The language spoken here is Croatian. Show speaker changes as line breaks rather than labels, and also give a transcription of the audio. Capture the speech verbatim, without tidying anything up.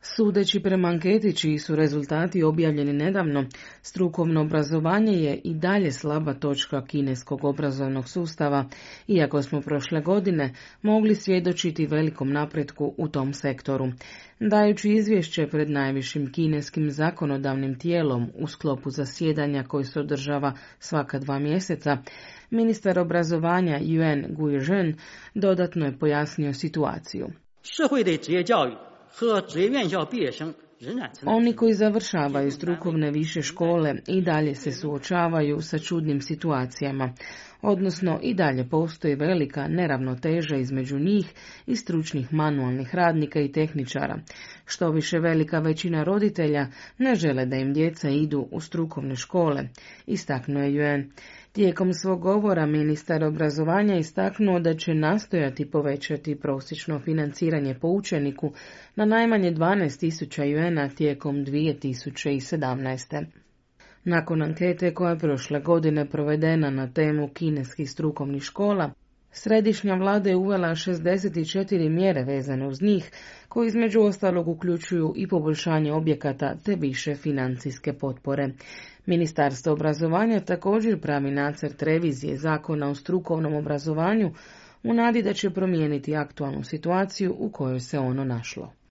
Sudeći prema anketi čiji su rezultati objavljeni nedavno, strukovno obrazovanje je i dalje slaba točka kineskog obrazovnog sustava, iako smo prošle godine mogli svjedočiti velikom napretku u tom sektoru. Dajući izvješće pred najvišim kineskim zakonodavnim tijelom u sklopu zasjedanja koji se održava svaka dva mjeseca, ministar obrazovanja Yuan Guizhen dodatno je pojasnio situaciju. Oni koji završavaju strukovne više škole i dalje se suočavaju sa čudnim situacijama, odnosno i dalje postoji velika neravnoteža između njih i stručnih manualnih radnika i tehničara. Što više, velika većina roditelja ne žele da im djeca idu u strukovne škole, istaknuo je Yuan. Tijekom svog govora ministar obrazovanja istaknuo da će nastojati povećati prosječno financiranje po učeniku na najmanje dvanaest tisuća juana tijekom dvije tisuće sedamnaeste. Nakon ankete koja je prošle godine provedena na temu kineskih strukovnih škola, središnja vlada je uvela šezdeset četiri mjere vezane uz njih, koji između ostalog uključuju i poboljšanje objekata te više financijske potpore. Ministarstvo obrazovanja također pravi nacrt revizije zakona o strukovnom obrazovanju u nadi da će promijeniti aktualnu situaciju u kojoj se ono našlo.